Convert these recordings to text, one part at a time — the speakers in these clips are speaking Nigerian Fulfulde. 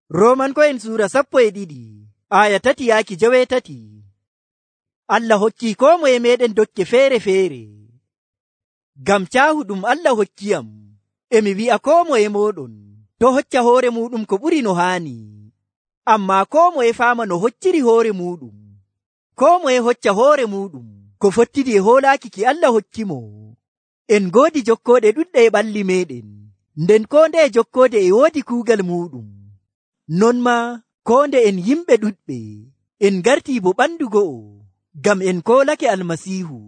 Roomanko'en suura 12 aya 3-7. Allah hokkii koo moye meɗen dokke feere-feere. Ngam caahu ɗum Allah hokkiyam, emi wi'a koo moye mooɗon to hocca hoore muuɗum ko ɓuri no haani. Ammaa koo moye faama no hocciri hoore muuɗum. Koo moye hocca hoore muuɗum ko fottidi e hoolaaki ki Allah hokkimo. En ngoodi jokkooɗe ɗuɗɗe e ɓalli meɗen, nden koo ndeye jokkoode e woodi kuugal muuɗum. Non maa koo nde en yimɓe ɗuɗɓe en ngartii bo ɓandu go'o, ngam en koolake Almasiihu.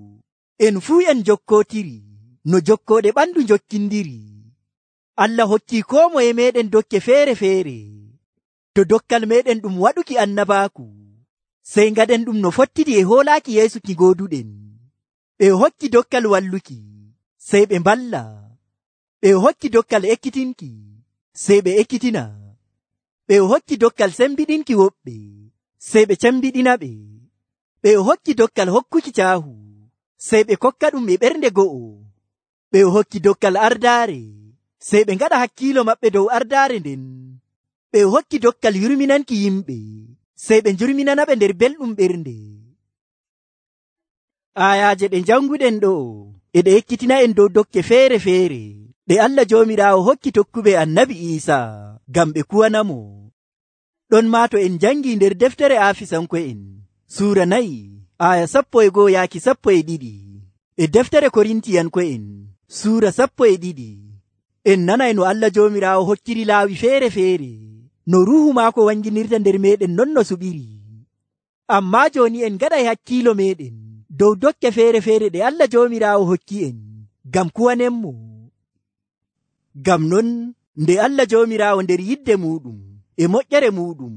En fuu en jokkootiri no jokkooɗe ɓandu jokkindiri. Allah hokkii koo moye meɗen dokke feere-feere. To dokkal meɗen ɗum waɗuki annabaaku, sey ngaɗen ɗum no fottidi e hoolaaki Yeesu ki gooduɗen. Ɓe hokki dokkal walluki, sey ɓe mballa. Ɓe hokki dokkal ekkitinki, sey ɓe ekkitina. Ɓe hokki dokkal sembiɗinki woɓɓe, sey ɓe cembiɗina ɓe. Ɓe hokki dokkal hokkuki caahu, sey ɓe kokka ɗum e ɓernde go'o. Ɓe hokki dokkal ardaare, sey ɓe ngaɗa hakkiilo maɓɓe dow ardaare nden. Ɓe hokki dokkal yurminanki yimɓe, sey ɓe njurminana ɓe nder belɗum ɓernde. Ayaaje ɗe janguɗen ɗo e ɗe ekkitina en dow dokke feere-feere ɗe Allah Joomiraawo hokki tokkuɓe Annabi Iisaa ngam ɓe kuwanamo. Ɗon maa to en jangi nder deftere Aafisanko'en suura 4 aya 11-12, e deftere Korintiyanko'en suura 12, en nanay no Allah Joomiraawo hokkiri laawi feere-feere no ruuhu maako wanginirta nder meɗen non no suɓiri. Ammaa jooni en ngaɗay hakkiilo meɗen dow dokke feere-feere ɗe Allah Joomiraawo hokki en ngam kuwanenmo. Ngam non nde Allah Joomiraawo nder yidde muuɗum e moƴƴere muuɗum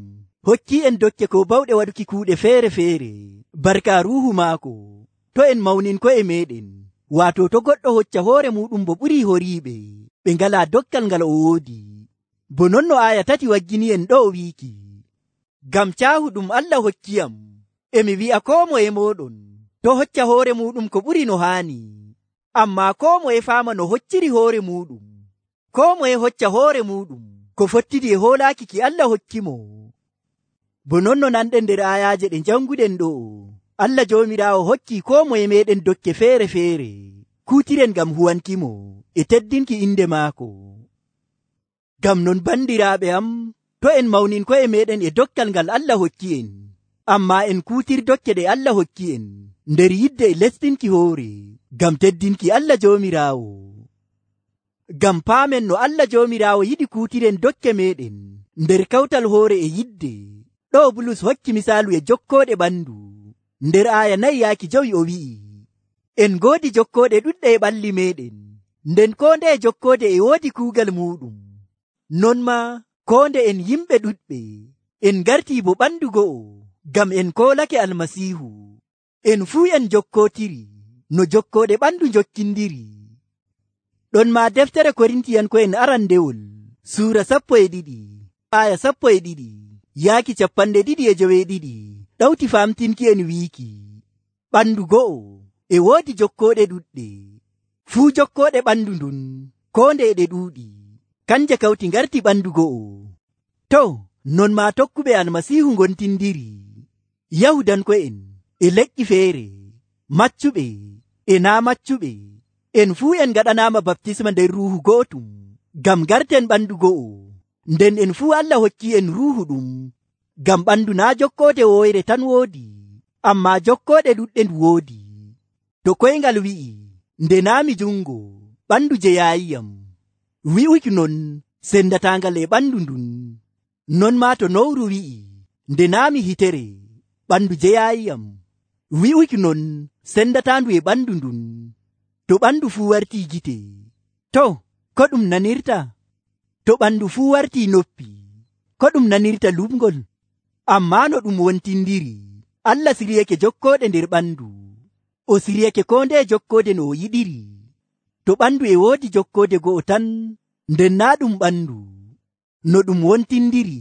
hokki en dokke ko bawɗe waɗuki kuuɗe feere-feere barka ruuhu maako, to en mawninko'e meɗen, waato to goɗɗo hocca hoore muuɗum bo ɓuri horiiɓe ɓe ngalaa dokkal ngal o woodi. Bo non no aya 3 waggini en ɗo o wiiki, ngam caahu ɗum Allah hokkiyam, emi wi'a koo moye mooɗon to hocca hoore muuɗum ko ɓuri no haani. Ammaa koo moye faama no hocciri hoore muuɗum. Koo moye hocca hoore muuɗum ko fottidi e hoolaaki ki Allah hokkimo. Bo non no nanɗen nder ayaaje ɗe janguɗen ɗo, Allah Joomiraawo hokkii koo moye meɗen dokke feere-feere kuutiren ngam huwankimo e teddinki inde maako. Ngam non bandiraaɓe am, to en mawninko'e meɗen e dokkal ngal Allah hokki en, ammaa en kuutir dokke ɗe Allah hokki en nder yidde e lestinki hoore ngam teddinki Allah Joomiraawo. Ngam paamen no Allah Joomiraawo yiɗi kuutiren dokke meɗen nder kawtal hoore e yidde. Ɗo Bulus hokki misaalu e jokkooɗe ɓandu. Nder aya 4-5 o wi'i, en ngoodi jokkooɗe ɗuɗɗe e ɓalli meɗen, nden koo ndeye jokkoode e woodi kuugal muuɗum. Non maa koo nde en yimɓe ɗuɗɓe en ngartii bo ɓandu go'o, ngam en koolake Almasiihu. En fuu en jokkootiri no jokkooɗe ɓandu jokkindiri. Ɗon maa deftere Korintiyanko'en arandewol suura 12 aya 12-22 ɗawti famtinki en wiiki, ɓandu go'o e woodi jokkooɗe ɗuɗɗe. Fuu jokkooɗe ɓandu ndun koo nde ɗe ɗuuɗi, kanje kawti ngarti ɓandu go'o. To non maa tokkuɓe Almasiihu ngontindiri, Yahudanko'en e leƴƴi feere, maccuɓe e naa maccuɓe, en fuu en ngaɗanaama baptisma nder ruuhu gootum ngam garten ɓandu go'o. Nden en fuu Allah hokki en ruuhu ɗum, ngam ɓandu naa jokkoode woyre tan woodi, ammaa jokkooɗe ɗuɗɗe ndu woodi. To koyngal wi'i, nde naami jungo ɓandu jeyaayiyam, wi'uki non sendataangal e ɓandu ndun. Non maa to nowru wi'i, nde naami hitere ɓandu jeyaayiyam, wi'uki non sendataandu e ɓandu ndun. To ɓandu fuu wartii gite, to ko ɗum nanirta? To ɓandu fuu wartii noppi, ko ɗum nanirta lumgol? Ammaa no ɗum wontindiri, Allah siryake jokkooɗe nder ɓandu. O siryake koo ndeye jokkoode no o yiɗiri. To ɓandu e woodi jokkoode go'o tan, nden naa ɗum ɓandu. No ɗum wontindiri,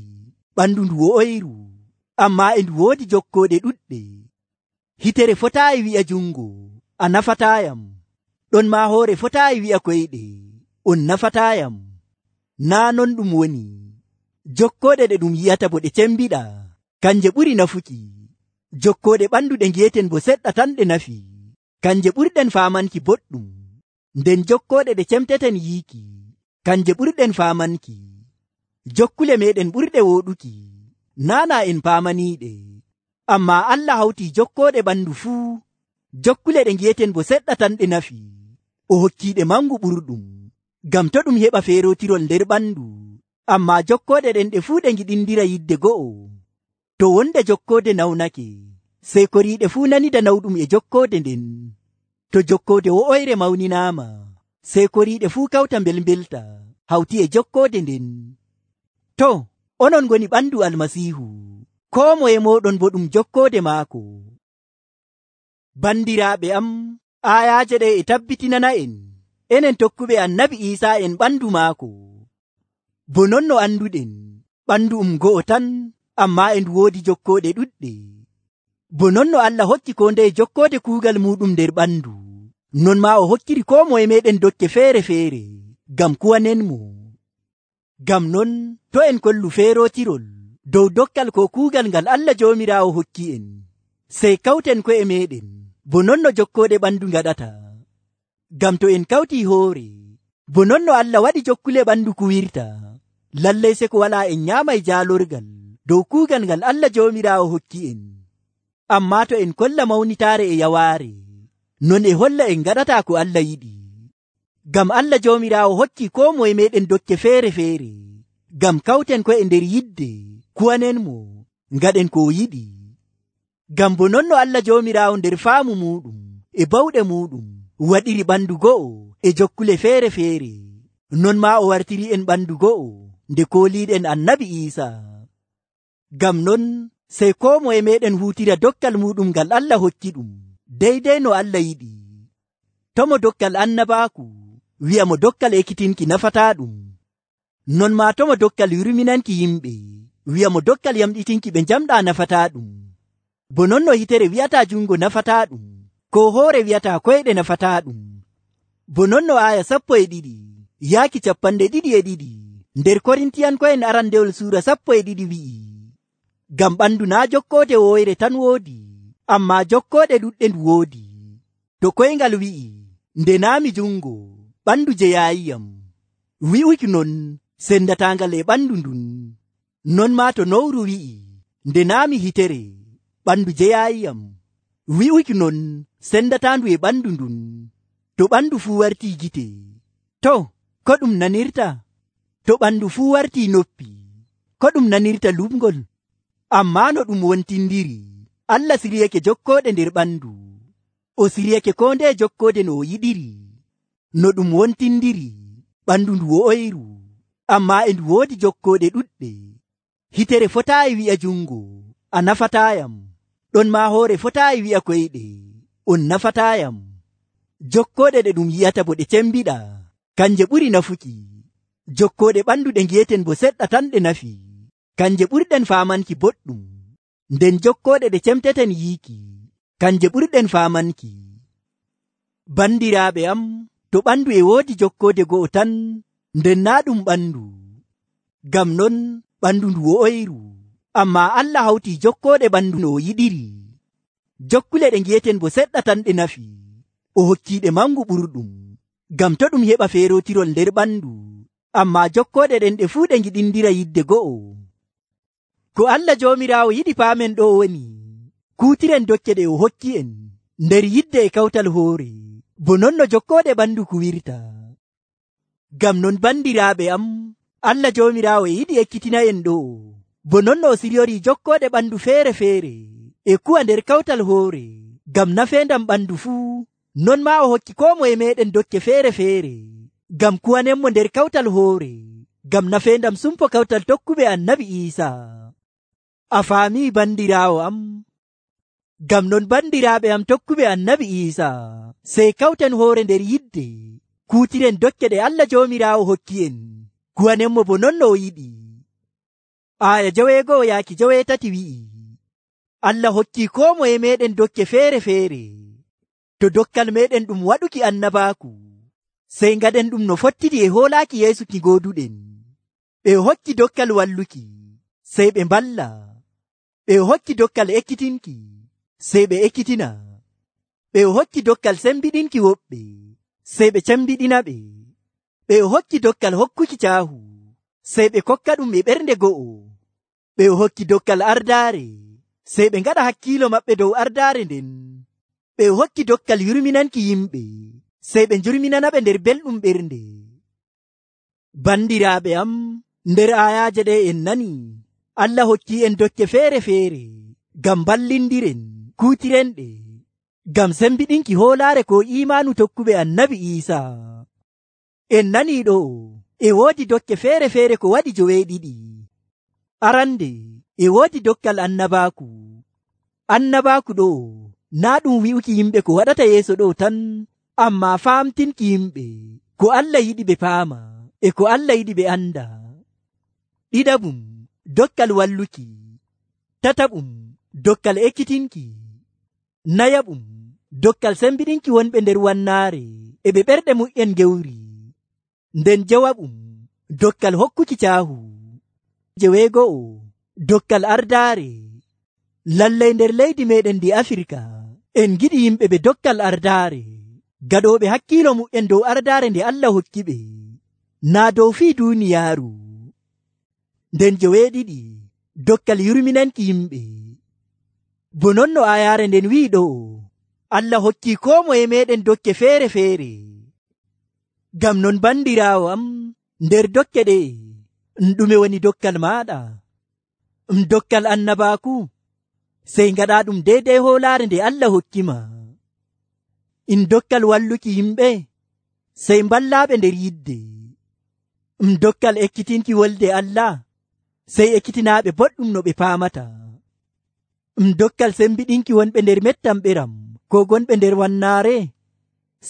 ɓandu ndu wo'oyru, ammaa e ndu woodi jokkooɗe ɗuɗɗe. Hitere fotaayi wi'a jungo, a nafataayam. Ɗon maa hoore fotaayi wi'a koyɗe, on nafataayam. Naa non ɗum woni. Jokkoode ɗe ɗum yi'ata bo ɗe cembiɗa, kanje ɓuri nafuki. Jokkoode ɓandu ɗe ngi'eten bo seɗɗa tan ɗe nafi, kanje ɓurɗen faamanki boɗɗum. Nden jokkoode ɗe cemteten yiiki, kanje ɓurɗen faamanki. Jokkule meɗen ɓurɗe wooɗuki, naana en paamaniiɗe. Ammaa Allah hawti jokkoode ɓandu fuu. Jokkule ɗe ngi'eten bo seɗɗa tan ɗe nafi, o hokkiiɗe mangu ɓurɗum, ngam to ɗum heɓa feerotirol nder ɓandu. Ammaa jokkoode ɗen ɗe fuu ɗe ngiɗindira yidde go'o. To wonde jokkoode nawnake, sey koriiɗe fuu nanida nawɗum e jokkoode nden. To jokkoode wo'oyre mawninaama, sey koriiɗe fuu kawta mbelmbelta hawti e jokkoode nden. To, onon ngoni ɓandu Almasiihu, koo moye mooɗon bo ɗum jokkoode maako. Bandiraaɓe am, aayaaje ɗe e tabbitinana en, enen tokkuɓe Annabi Iisaa en ɓandu maako. Bo non no anduɗen, ɓandu go'o tan, ammaa e ndu woodi jokkooɗe ɗuɗɗe. Bo non no Allah hokki koo ndeye jokkoode kuugal muɗum nder ɓandu, non maa o hokkiri koo moye meɗen dokke feere-feere, ngam kuwanenmo. Ngam non, to en kollu feerotirol dow dokkal ko kuugal ngal Allah Joomiraawo hokki en, sey kawten ko'e meɗen, bo non no jokkooɗe ɓandu ngaɗata. Ngam to en kawtii hoore, bo non no Allah waɗi jokkule ɓandu kuwirta, lallay se ko walaa en nyaamay jaalorgal dow kuugal ngal Allah Joomiraawo hokki en. Ammaa to en kolla mawnitaare e yawaare, non e holla en ngaɗataa ko Allah yiɗi. Ngam Allah Joomiraawo hokki koo moye meɗen dokke feere-feere, ngam kawten ko'e nder yidde, kuwanenmo, ngaɗen ko yiɗi. Ngam bo non no Allah Joomiraawo nder faamu muɗum e bawɗe muɗum waɗiri ɓandu go'o e jokkule feere-feere, non maa o wartiri en ɓandu go'o nde kooliiɗen Annabi Iisaa. Ngam non, sey koo moye meɗen huutira dokkal muɗum ngal Allah hokki ɗum, deydey no Allah yiɗi. Tomo dokkal annabaaku, wi'a mo dokkal ekkitinki nafataa ɗum. Non maa tomo dokkal yurminanki yimɓe, wi'a mo dokkal yamɗitinki ɓe njamɗaa nafataa ɗum. Bo non no hitere wi'ataa jungo nafataa ɗum, ko hoore wi'ataa koyɗe nafataa ɗum. Bo non no aaya 12 yaaki 22 nder Korintiyanko'en arandewol suura 12 wi'i, ngam ɓandu naa jokkoode woyre tan woodi, ammaa jokkoode ɗuɗɗe ndu woodi. To koyngal wi'i, nde naami jungo, ɓandu jeyaayiyam, wi'uki non sendataangal e ɓandu ndun. Non maa to nowru wi'i, nde naami hitere, ɓandu jeyaayiyam, wi'uki non sendataandu e ɓandu ndun. To ɓandu fuu wartii gite, to ko ɗum nanirta? To ɓandu fuu wartii noppi, ko ɗum nanirta lumgol? Ammaa no ɗum wontindiri, Allah siryake jokkooɗe nder ɓandu, o siryake koo ndeye jokkoode no o yiɗiri. No ɗum wontindiri, ɓandu ndu wo'oyru, ammaa e ndu woodi jokkooɗe ɗuɗɗe. Hitere fotaayi wi'a jungo, a nafataayam, ɗon maa hoore fotaayi wi'a koyɗe, on nafataayam. Jokkooɗe ɗe ɗum yi'ata bo ɗe cembiɗa, kanje ɓuri nafuki. Jokkooɗe ɓandu ɗe ngi'eten bo seɗɗa tan ɗe nafi, kanje ɓurɗen faamanki boɗɗum. Nden jokkooɗe ɗe cemteten yiiki, kanje ɓurɗen faamanki. Bandiraaɓe am, to ɓandu e woodi jokkoode go'o tan, nden naa ɗum ɓandu. Ngam non ɓandu ndu wo'oyru, ammaa Allah hawti jokkooɗe ɓandu no o yiɗiri. Jokkule ɗe ngi'eten bo seɗɗa tan ɗe nafi, o hokkiiɗe mangu ɓurɗum, ngam to ɗum heɓa feerotirol nder ɓandu. Ammaa jokkooɗe ɗen ɗe fuu ɗe ngiɗindira yidde go'o. Ko Allah Joomiraawo yiɗi paamen ɗo woni, kuutiren dokke ɗe o hokki en nder yidde e kawtal hoore, bo non no jokkooɗe ɓandu kuwirta. Ngam non bandiraaɓe am, Allah Joomiraawo e yiɗi ekkitina en ɗo, bo non no o siryori jokkooɗe ɓandu feere-feere e kuwa nder kawtal hoore, ngam nafeendam ɓandu fuu. Non maa o hokki koo moye meɗen dokke feere-feere, ngam kuwanenmo nder kawtal hoore, ngam nafeendam sumpo kawtal tokkuɓe Annabi Iisaa. A faamii bandiraawo am? Ngam non bandiraaɓe am tokkuɓe Annabi Iisaa, sey kawten hoore nder yidde, kuutiren dokke ɗe Allah Joomiraawo hokki en, kuwanenmo bo non no o yiɗi. Aaya 2-3 wi'i, Allah hokki koo moye meɗen dokke feere-feere. To dokkal meɗen ɗum waɗuki annabaaku, sey ngaɗen ɗum no fottidi e hoolaaki Yeesu ki gooduɗen. ɓe hokki dokkal walluki sey ɓe mballa, ɓe hokki dokkal ekkitinki sey ɓe ekkitina, ɓe hokki dokkal sembiɗinki woɓɓe sey ɓe cembiɗina ɓe, ɓe hokki dokkal hokkuki caahu sey ɓe kokka ɗum e ɓernde go'o, ɓe hokki dokkal ardaare sey ɓe ngaɗa hakkiilo maɓɓe dow ardaare nden, ɓe hokki dokkal yurminanki yimɓe sey ɓe njurminana ɓe nder belɗum ɓernde. Bandiraaɓe am, nder ayaaje ɗe en nani Allah hokki en dokke feere-feere ngam ballindiren kuutirenɗe ngam sembiɗinki hoolaare ko imaanu tokkuɓe annabi Iisaa. En nani ɗo e woodi dokke feere-feere ko waɗi joweeɗiɗi. Arande e woodi dokkal annabaaku. Annabaaku ɗo naa ɗum wi'uki yimɓe ko waɗata yeeso ɗo tan, ammaa faamtinki yimɓe ko Allah yiɗi ɓe paama e ko Allah yiɗi ɓe anda. Ɗiɗaɓum, dokkal walluki. Tataɓum, dokkal ekkitinki. Nayaɓum, dokkal sembiɗinki wonɓe nder wannaare e ɓe ɓerɗe mu'en gewri. Nden jawaɓum, dokkal hokkuki caahu. Jeweego'o, dokkal ardaare. Lallay nder leydi meɗen ndi Afirka en giɗi yimɓe ɓe dokkal ardaare, gaɗooɓe hakkiilo mu'en dow ardaare nde Allah hokki ɓe, naa dow fii duuniyaaru. Nden joweeɗiɗi, dokkal yurminanki yimɓe. Bo non no ayaare nden wi'i ɗo, Allah hokki koo moye meɗen dokke feere-feere. Ngam non bandiraawo am, nder dokke ɗe ɗume woni dokkal maaɗa? Dokkal annabaaku, sey ngaɗa ɗum deydey hoolaare nde Allah hokkima. Dokkal walluki yimɓe, sey mballaaɓe nder yidde. Dokkal ekkitinki wolde Allah, sey ekkitinaaɓe boɗɗum no ɓe paamata. Dokkal sembiɗinki wonɓe nder mettam ɓeram ko gonɓe nder wannaare,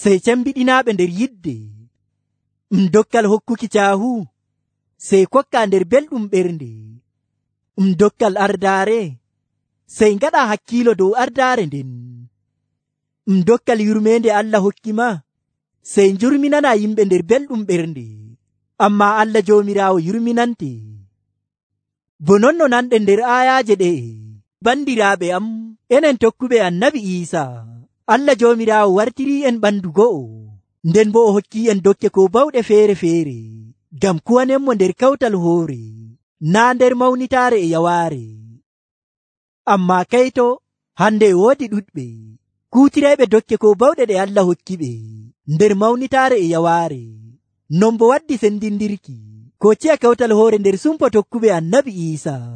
sey cembiɗinaaɓe nder yidde. Dokkal hokkuki caahu, sey kokka nder belɗum ɓernde. Dokkal ardaare, sey ngaɗa hakkiilo dow ardaare nden. Dokkal yurmeende Allah hokkima, sey njurminana yimɓe nder belɗum ɓernde, ammaa Allah Joomiraawo yurminante. Bo non no nanɗen nder ayaaje ɗe, bandiraaɓe am, enen tokkuɓe annabi Iisaa, Allah Joomiraawo wartirii en ɓandu go'o, nden bo o hokki en dokke ko bawɗe feere-feere ngam kuwanenmo nder kawtal hoore, naa nder mawnitaare e yawaare. Ammaa kayto, hande e woodi ɗuɗɓe kuutirayɓe dokke ko bawɗe ɗe Allah hokki ɓe nder mawnitaare e yawaare. Non bo waddi sendindirki ko ciya kawtal hoore nder sumpo tokkuɓe annabi Iisaa.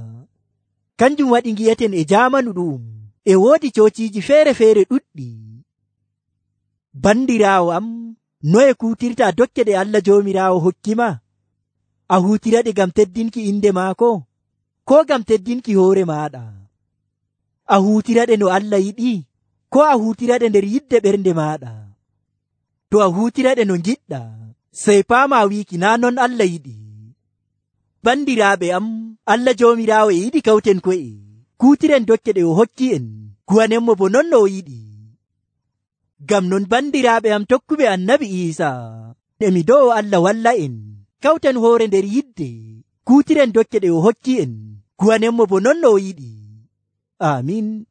Kanjum waɗi ngi'eten e jaamanu ɗum e woodi coociiji feere-feere ɗuɗɗi. Bandiraawo am, noye kuutirta dokke ɗe Allah Joomiraawo hokkima? A huutiraɗe ngam teddinki inde maako, ko ngam teddinki hoore maaɗa? A huutiraɗe no Allah yiɗi, ko a huutiraɗe nder yidde ɓernde maaɗa? To a huutiraɗe no ngiɗɗa, sey paama wiiki naa non Allah yiɗi. Bandiraaɓe am, Allah Joomiraawo e yiɗi kawten ko'e, kuutiren dokke ɗe o hokki en, kuwanenmo bo non no o yiɗi. Ngam non bandiraaɓe am tokkuɓe annabi Iisaa, emi do'o Allah walla en, kawten hoore nder yidde, kuutiren dokke ɗe o hokki en, kuwanenmo bo non no o yiɗi. Amiin.